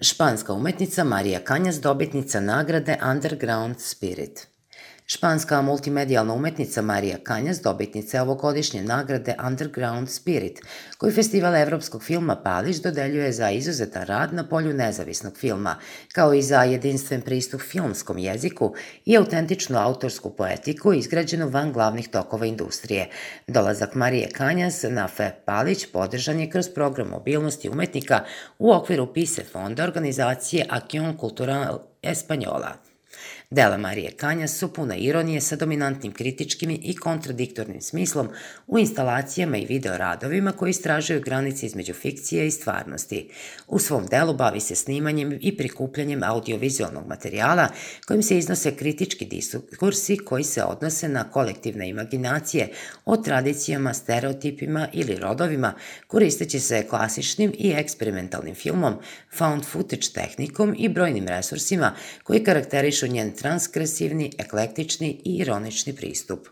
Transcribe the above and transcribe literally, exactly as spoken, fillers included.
Španska umetnica Marija Kanjas dobitnica nagrade Underground Spirit. Španska multimedijalna umetnica Marija Kanjas dobitnica je ovogodišnje nagrade Underground Spirit, koju Festival evropskog filma Palić dodeljuje za izuzetan rad na polju nezavisnog filma, kao i za jedinstven pristup filmskom jeziku i autentičnu autorsku poetiku izgrađenu van glavnih tokova industrije. Dolazak Marije Kanjas na F E Palić podržan je kroz program mobilnosti umetnika u okviru PISE fonda organizacije Acción Cultural Española. Dela Marije Kanjas su puna ironije sa dominantnim kritičkim i kontradiktornim smislom u instalacijama i videoradovima koji istražuju granice između fikcije i stvarnosti. U svom delu bavi se snimanjem i prikupljanjem audiovizualnog materijala kojim se iznose kritički diskursi koji se odnose na kolektivne imaginacije o tradicijama, stereotipima ili rodovima, koristeći se klasičnim i eksperimentalnim filmom, found footage tehnikom i brojnim resursima koji karakterišu njen transgresivni, eklektični i ironični pristup.